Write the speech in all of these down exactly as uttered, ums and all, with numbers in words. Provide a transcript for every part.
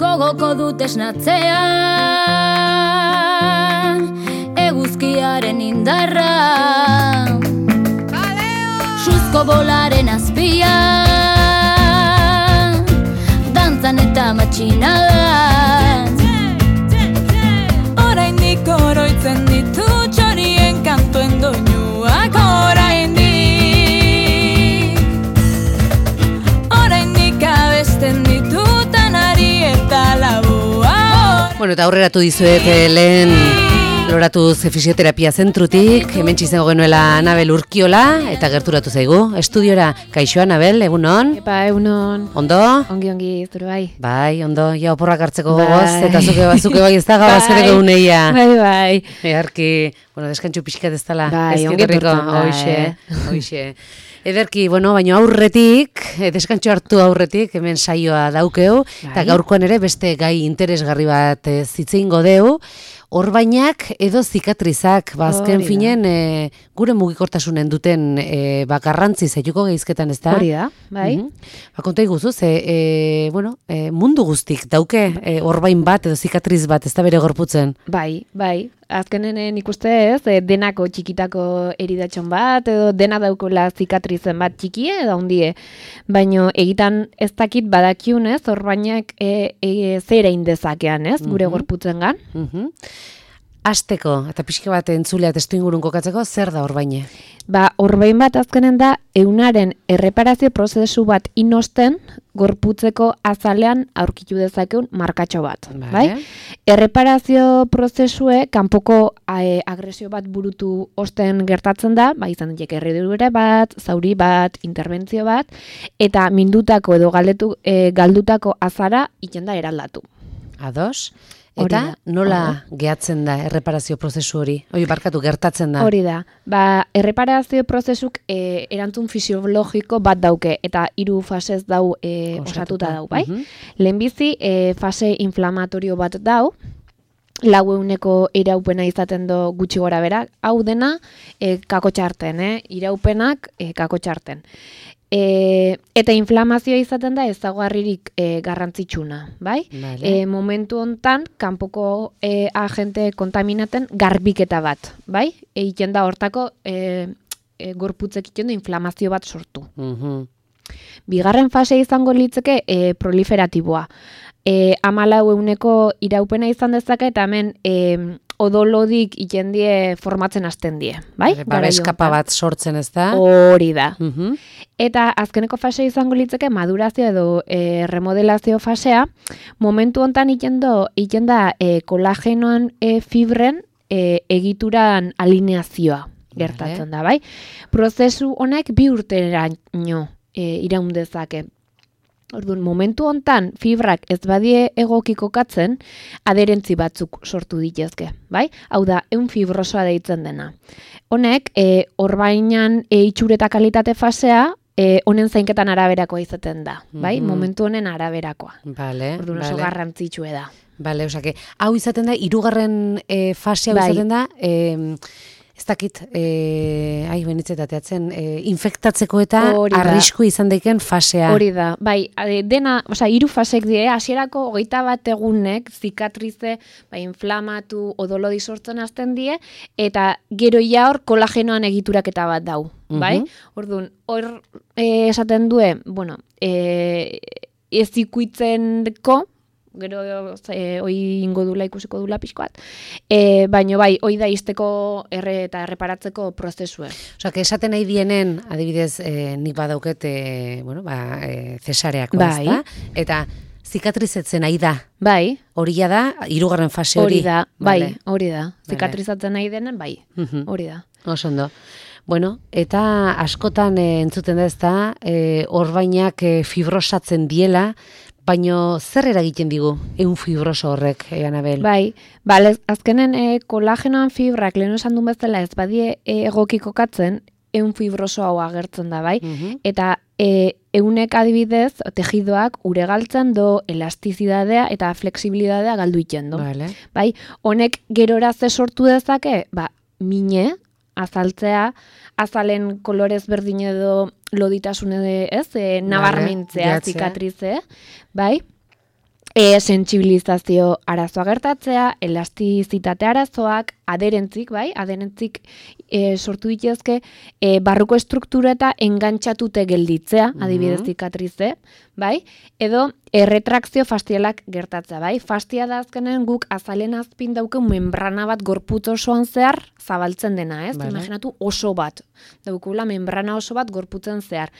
Gogoko dut esnatzea, eguzkiaren indarra, suzko bolaren azpia, dantzan eta matxinada. Oraindik oroitzen ditu txorien kantuen doinuak, oraindik Oraindik abesten ditutan ari eta labua. Bueno, eta aurreratu dizuet eh, lehen loratuz fisioterapia zentrutik, hemen txizengo genuela Anabel Urkiola, eta gerturatu zaigu. Estudiora, kaixo Anabel, egunon? Epa, egunon. Ondo? Ongi, ongi, zure bai. Bai, ondo, ja oporrak hartzeko Bai. gogoz, eta zuke, zuke bai ez da gabaz ere geuneia. Bai, bai. Egarki, bueno, deskantxu pixkat ez dala. Bai, ongi etortzen da, Hoixe, eh. hoixe. Ederki, bueno, baina aurretik, eh, deskantxo hartu aurretik, hemen saioa daukeu, eta Bai. gaurkoan ere beste gai interesgarri bat eh, zitzeingo deu, orbainak edo zikatrizak, bazken Hori da. finen, e, gure mugikortasunen duten e, bakarrantzi zaituko geizketan, ez da? Hori da, bai. Mhm. Ba, konta iguzu, ze, e, bueno, e, mundu guztik dauke e, orbain bat edo zikatriz bat, ez da bere gorputzen. Bai, bai. Azkenen eh, nik uste ez, eh, denako txikitako eridatxon bat, edo dena daukola zikatrizen bat txikie edo handie. Baino egitan ez dakit badakiunez, orbainak e, e, zera indezakean, ez, gure Mhm. gorputzengan. Mhm. Asteko, eta pixka bat entzulea testu ingurun kokatzeko, zer da orbaine? Ba, orbain bat azkenen da, eunaren erreparazio prozesu bat inosten, gorputzeko azalean aurkitu dezakeun markatxo bat. Vale. Bai? Erreparazio prozesue, kanpoko e, agresio bat burutu osten gertatzen da, ba, izan daiteke erredure bat, zauri bat, interbentzio bat, eta mindutako edo galdetu, e, galdutako azara iten da eraldatu. Ados? Hori Eta da. nola Hori gehatzen da erreparazio prozesu hori? Oi, barkatu, gertatzen da. Hori da. Ba, erreparazio prozesuk e, erantzun fisiologiko bat dauke, eta hiru fasez dau e, osatuta dau, bai? Mhm. Lehenbizi, e, fase inflamatorio bat dau, lau euneko iraupena izaten do gutxi gora bera, hau dena e, kakotxarten, eh? Iraupenak e, kakotxarten. E, eta inflamazioa izaten da ezaugarririk e, garrantzitsuna, bai? Vale. E, momentu hontan kanpoko e, agente kontaminaten garbiketa bat, bai? Egiten da hortako e, e, gorputzek egiten du inflamazio bat sortu. Mhm. Bigarren fase izango litzeke e, proliferatiboa. E, amalau euneko iraupena izan dezake eta hemen e, odolodik iten die formatzen hasten die, bai? Babeskapa bat sortzen, ez da? Hori da. Mhm. Eta azkeneko fase izango litzeke madurazio edo e, remodelazio fasea, momentu hontan iten do, iten da e, kolagenoan e, fibren e, egituran alineazioa gertatzen da, bai? Prozesu honek bi urteraino e, iraun dezake. Orduan, momentu hontan fibrak ez badie egoki kokatzen, aderentzi batzuk sortu ditezke, bai? Hau da, ehun fibrosoa deitzen dena. Honek, e, orbainan e, itxure eta kalitate fasea, e, honen zainketan araberakoa izaten da, bai? Mhm. Momentu honen araberakoa. Vale, Orduan, oso vale. garrantzitsue da. Bale, osake, hau izaten da, hirugarren e, fase hau Bai. izaten da, e, ez dakit, e, ai, benitzetateatzen, e, infektatzeko eta Hori da. arrisku izan daiken fasea. Hori da, bai, ade, dena, osea, hiru fasek die, hasierako hogeita bat egunek zikatrize, bai, inflamatu, odolodi sortzen hasten die, eta gero ja hor kolagenoan egituraketa bat dau, bai? Mhm. Orduan, hor e, esaten due, bueno, e, ez ikuitzenko, gero e, oi ingo dula ikusiko dula pixkoat, e, baino bai, oi da izteko erre eta erreparatzeko prozesue. Osea, que esaten nahi dienen, adibidez, e, nik badauket, e, bueno, ba, e, cesareako, Bai. ez da? Eta zikatrizetzen nahi da. Bai, Hori da, hirugarren fase hori. hori da, bai, Vale. hori da. Vale. Zikatrizatzen nahi denen, bai, Mhm. hori da. Oso ondo. Bueno, eta askotan e, entzuten da ez da, e, orbainak e, fibrosatzen diela, baino zer eragiten digu ehun fibroso horrek, e, Anabel? Bai, bale, azkenen e, kolagenoan fibrak lehen esan duen bezala ez badie e, egoki kokatzen, ehun fibroso hau agertzen da, bai? Mhm. Eta e, eunek adibidez, tejidoak uregaltzen do elastizidadea eta flexibilidadea galdu iten do. Vale. Bai, honek gerora ze sortu dezake, ba, mine, azaltzea, azalen kolorez berdin edo loditasun edo ez, e, nabarmentzea jatzea. zikatrize, bai? E, sentsibilizazio arazoa gertatzea, elastizitate arazoak, aderentzik, bai, aderentzik e, sortu dituzke, e, barruko estruktura eta engantxatute gelditzea, adibidez zikatrize, bai, edo erretrakzio fastialak gertatzea, bai, fastia da azkenen guk azalen azpin dauken membrana bat gorputz osoan zehar zabaltzen dena, ez? Vale. Imaginatu oso bat, daukula membrana oso bat gorputzen zehar.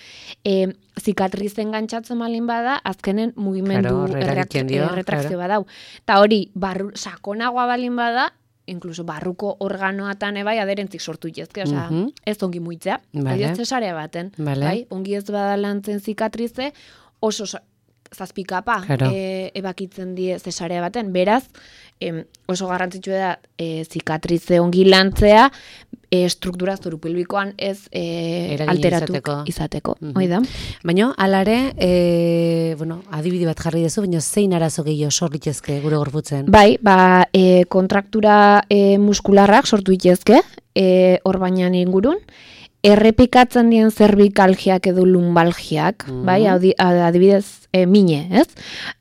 E, zikatrizen gantxatzen malin bada, azkenen mugimendu Claro, eragiten dio, erretrakzio claro. badau. Eta hori, barru, sakonagoa balin bada, inkluso barruko organoatan ebai aderentzik sortu itezke, osea, Mhm. ez ongi muitzea, Vale. adibidez zesarea baten, Vale. bai, ongi ez bada lantzen zikatrize, oso sa- zazpikapa Claro. e, ebakitzen die zesarea baten, beraz, em, oso garrantzitsua da e, zikatrize ongi lantzea, e, struktura zorupilbikoan ez e, Eragina alteratu izateko. izateko. Mhm. Hoi da? Baina, alare, e, bueno, adibide bat jarri dezu, baina zein arazo gehiago sor litezke gure gorputzen? Bai, ba, e, kontraktura e, muskularrak sortu itezke, e, orbainan ingurun, errepikatzen dien zerbikalgiak edo lumbalgiak, Mhm. bai, audi- adibidez, e, mine, ez?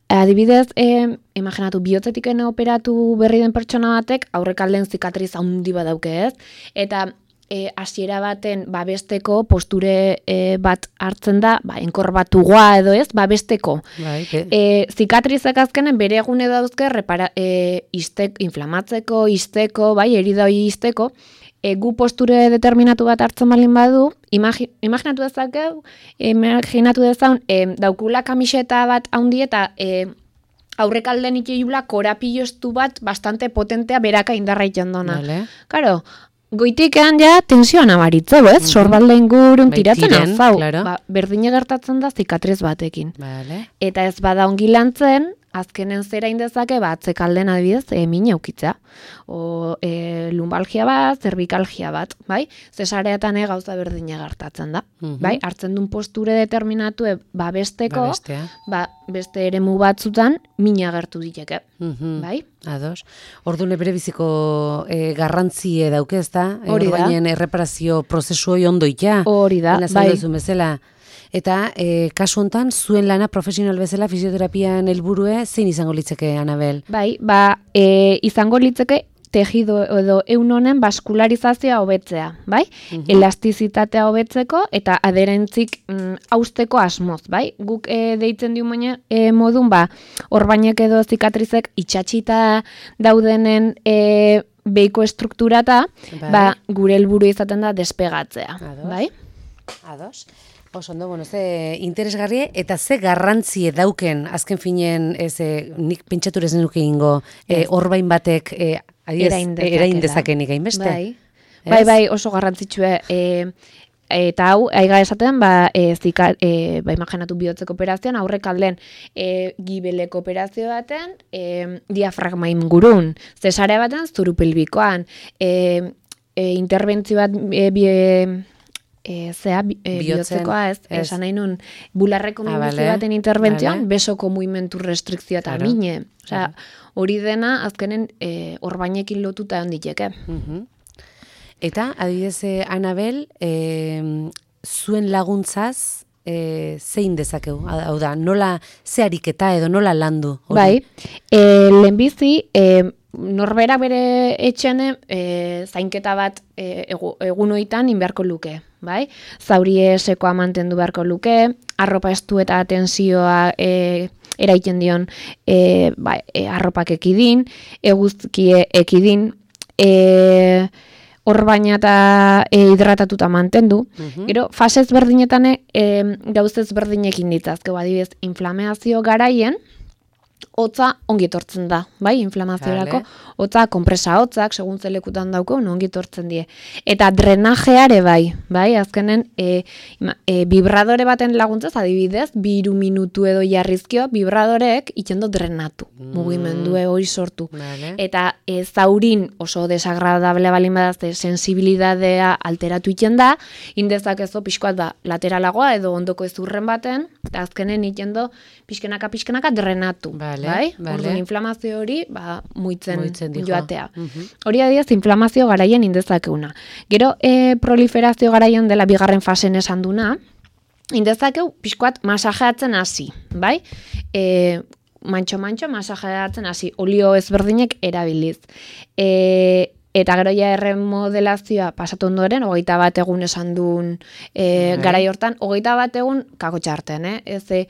Adibidez, e, imaginatu, bihotzetik ene operatu berri den pertsona batek, aurrekalden zikatriz handi badauke, ez? Eta e, hasiera baten babesteko posture e, bat hartzen da, ba, enkorbatugoa edo ez, babesteko. Bai, be- E, zikatrizek azkenen bere egune dauzke repara, e, istek, inflamatzeko, isteko, bai, erida hori isteko, e, gu posture determinatu bat hartzen balin badu, imagi, imaginatu dezakeu, imaginatu dezaun, e, daukula kamiseta bat handi eta e, aurrekalden itxeula korapillo estu bat bastante potentea beraka indarra itxandona. Vale. Karo, goitikean ja tensioa nabaritzeu, ez? Sorbalde ingurun Bai, tiratzen tiren, azau. claro. Ba, berdine gertatzen da zikatriz batekin. Vale. Eta ez bada ongi lantzen, azkenen zera indezake, ba, atzekalden adibidez, e, mine aukitzea. O e, lumbalgia bat, zerbikalgia bat, bai? Zesareatan e, gauza berdine gertatzen da. Mhm. Bai? Hartzen duen posture determinatu e, babesteko, Babestea. ba, beste eremu batzutan, mina gertu diteke. Mhm. Bai? Ados. Ordune bere biziko e, garrantzie dauke, ez da? Hori da. Orbainen erreparazio prozesu hori ondo itea. Hori da, Lehen bai. azaldu duzun bezala. Eta e, kasu hontan zuen lana profesional bezala fisioterapian helburue zein izango litzeke, Anabel? Bai, ba, e, izango litzeke tejido edo eun honen baskularizazioa hobetzea, bai? Elastizitatea hobetzeko eta aderentzik mm, hausteko asmoz, bai? Guk e, deitzen diu baina e, modun, ba, orbainek edo zikatrizek itxatxita daudenen e, beiko strukturata, Bai. ba, gure helburu izaten da despegatzea, Ados. bai? Ados. Oso ondo, bueno, ze interesgarrie eta ze garrantzie dauken azken finen, ez, e, nik pentsatur ez nuke ingo, e, orbain batek e, adiez, Erain dezakela. erain dezakenik hainbeste. Bai. Ez? Bai, bai, oso garrantzitsua. E, eta hau, aiga esaten, ba, e, zika, e, ba, imaginatu bihotzeko operazioan, aurrekalden e, gibeleko operazio baten, e, diafragma ingurun, zesarea baten, zurupilbikoan, e, e, interbentzio bat, e, bi, e, zea, bi- e, Bihotzen, bihotzekoa ez, ez. esan nahi nun, bularreko Ah, minbizio vale, baten interbentzioan, vale. besoko mugimendu restrikzioa eta Claro, mine. Osea, hori dena, azkenen, e, orbainekin lotuta egon diteke. Mhm. Eta, adibidez, eh, Anabel, eh, zuen laguntzaz, eh, zein dezakegu? Hau da, nola, ze ariketa edo nola landu? hori? Bai, e, lehenbizi, e, norbera bere etxene e, zainketa bat e, egu, egun hoitan inbeharko luke, bai? Zaurie sekoa mantendu beharko luke, arropa estu eta tensioa e, eraiten dion e, ba, e, arropak ekidin, eguzkie ekidin, e, orbaina eta e, hidratatuta mantendu. Mhm. Gero, fase ezberdinetan e, gauz ezberdinekin ditzazke, adibidez, inflamazio garaien, hotza ongi etortzen da, bai, inflamaziorako, Vale. hotza, konpresa hotzak, segun zelekutan dauko, ongi etortzen die. Eta drenajeare bai, bai, azkenen, e, ima- e, vibradore baten laguntzaz, adibidez, bi hiru minutu edo jarrizkio, vibradorek itxendo drenatu, Mm. mugimendue hori sortu. Vale. Eta e, zaurin oso desagradable balin badazte sensibilidadea alteratu iten da, indezakezo pixkoat ba, lateralagoa edo ondoko ezurren baten, eta azkenen itendo pixkenaka pixkenaka drenatu. Vale, bai? vale. Orduan, inflamazio hori ba, muitzen, Muitzen dijo. joatea. Mhm. Hori adidez inflamazio garaien indezakeuna. Gero e, proliferazio garaian dela bigarren fasen esan duna, indezakeu pixkoat masajeatzen hasi, bai? E, mantxo-mantxo masajeatzen hasi, olio ezberdinek erabiliz. E, eta gero ja erremodelazioa pasatu ondoren, hogeita bat egun esan duen e, garai hortan, hogeita bat egun kakotxarten, eh? Ez e,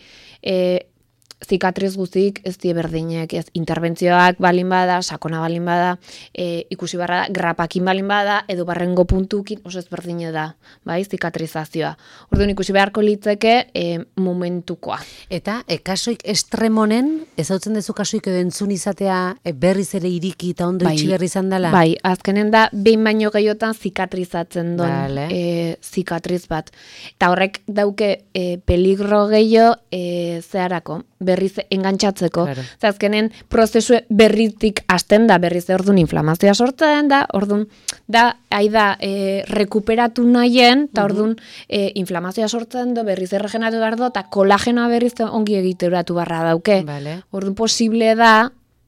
zikatriz guztik ez die berdinek, ez interbentzioak balin bada, sakona balin bada, e, ikusi barra da, grapakin balin bada, edo barrengo puntukin oso ez berdine da, bai, zikatrizazioa. Orduan ikusi beharko litzeke e, momentukoa. Eta e, kasuik estremonen, ez hautzen dezu kasuik edo entzun izatea e, berriz ere iriki eta ondo bai, itxi berri izan dela? Bai, azkenen da, behin baino gehiotan zikatrizatzen duen vale. e, zikatriz bat. Eta horrek dauke e, peligro gehiago e, zeharako, berriz engantzatzeko. Claro. Azkenen prozesu berritik hasten da, berriz orduan inflamazioa sortzen da, orduan da, aida, e, rekuperatu nahien, eta orduan e, inflamazioa sortzen do, berriz erregenatu behar do, eta kolagenoa berriz ongi egiteratu barra dauke. Vale. Orduan posible da,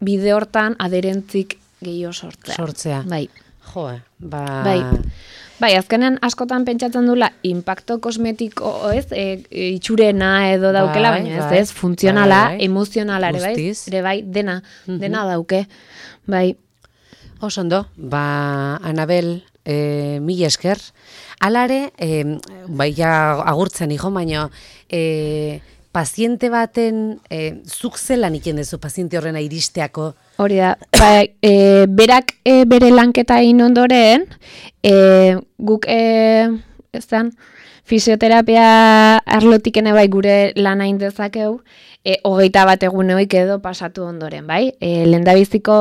bide hortan aderentzik gehiago sortzea. Sortzea. Bai. Joe, ba... Bai. Bai, azkenen askotan pentsatzen dula impacto kosmetiko, ez, e, e, itxurena edo daukela, bai, baina ez, bai, ez, funtzionala, bai, bai. emozionala ere bai, Guztiz. ere bai, dena, dena dauke, bai. Oso ondo, ba, Anabel, e, mila esker. Alare, e, bai, ja agurtzen hijo, baina e, paziente baten, e, zuk zelan iken dezu paziente horrena iristeako? Hori da, ba, e, berak e, bere lanketa egin ondoren, e, guk, e, ez dan, fisioterapia arlotik ene bai gure lan hain dezakeu, e, hogeita bat eguneoik edo pasatu ondoren, bai? E, lehendabiziko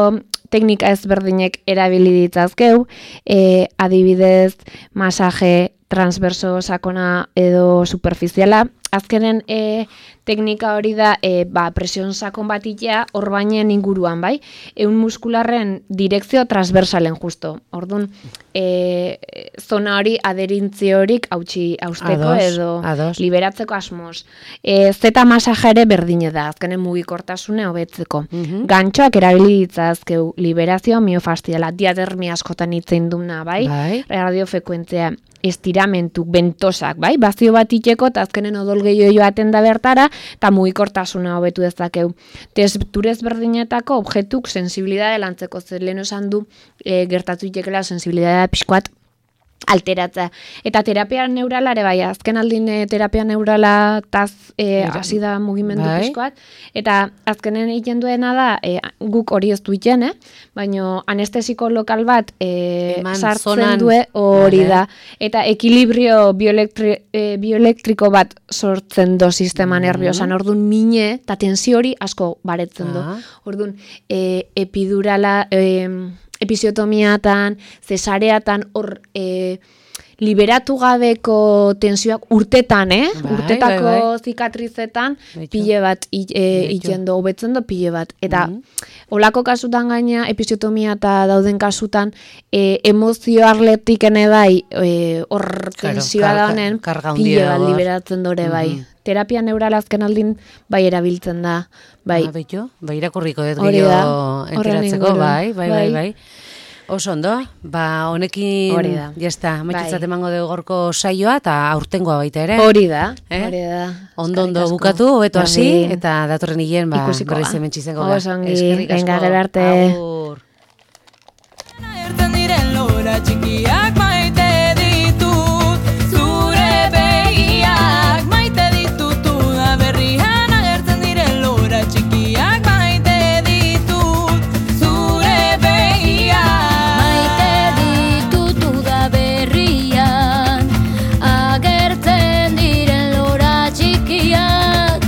teknika ezberdinek erabili ditzazkeu, e, adibidez, masaje transverso sakona edo superficiala. Azkenen e, teknika hori da e, ba, presion sakon bat itea orbainen inguruan, bai? Ehun muskularren direkzio transversalen justo. Orduan, e, zona hori aderintzi horik hautsi hausteko Ados, edo ados. liberatzeko asmoz. E, zeta masaja ere berdine da, azkenen mugikortasune hobetzeko. Mhm. Gantxoak erabili ditzazkeu liberazioa miofastiala, diadermia askotan hitzein duna, bai? Bai. Radiofrekuentzia estiramentu, bentosak, bai? Bazio bat itxeko, eta azkenen odol gehiago joaten da bertara, eta mugikortasuna hobetu dezakeu. Testurez berdinetako objetuk sensibilidade lantzeko, zer lehen esan du e, gertatu itekela sensibilidadea pixkoat alteratzea. Eta terapia neuralare, bai, azken aldin e, terapia neurala taz e, hasi da mugimendu bai. pixkoat, eta azkenen egiten duena da, e, guk hori ez du iten, eh? Baina anestesiko lokal bat e, Eman sartzen zonan. due hori Vale. da. Eta ekilibrio bioelektri, e, bioelektriko bat sortzen do sistema nerviosan, orduan mine eta tensio hori asko baretzen do. Ah. Orduan, e, epidurala, e, episiotomiatan, cesareatan, hor e, liberatu gabeko tensioak urtetan, eh? Bai, Urtetako bai, bai. zikatrizetan Beitu. pile bat i- e, Beitu. iten do, hobetzen do pile bat. Eta Mhm. olako kasutan gaina, episiotomia eta dauden kasutan, e, emozio arletik ene bai, e, hor Claro, tensioa da karga- honen, karga pile handia bat hor. liberatzen dore bai. Mhm. Terapia neurala azken aldin bai erabiltzen da, bai. Ah, beitu, bai irakurriko dut Hori gehiago da, horren enteratzeko, inguruan. bai, bai, bai, Bai. bai. Oso ondo, ba honekin, Hori da. jazta, amaitutzat Bai. emango dugu gorko saioa, eta aurtengoa baita ere. Hori da, Eh? hori da. Ondo ondo Eskerrik asko. bukatu, hobeto hasi, Berdin. eta datorren hilen, ba, Ikusiko berriz ga. hemen txizengo ga. Oso ongi, Eskerrik asko. venga, gero arte. Agur. Ertzen diren lora txikiak maite ditut, zure begiak maite ditut, uda berrian agertzen diren lora txikiak maite ditut, zure begiak. Maite ditut uda berrian, agertzen diren lora txikiak.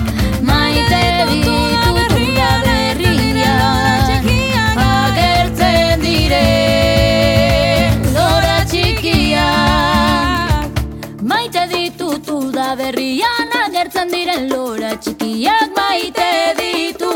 Maite ditut uda berrian, agertzen diren lora txikiak. Maite ditut uda berrian, agertzen diren lora txikiak. Maite ditut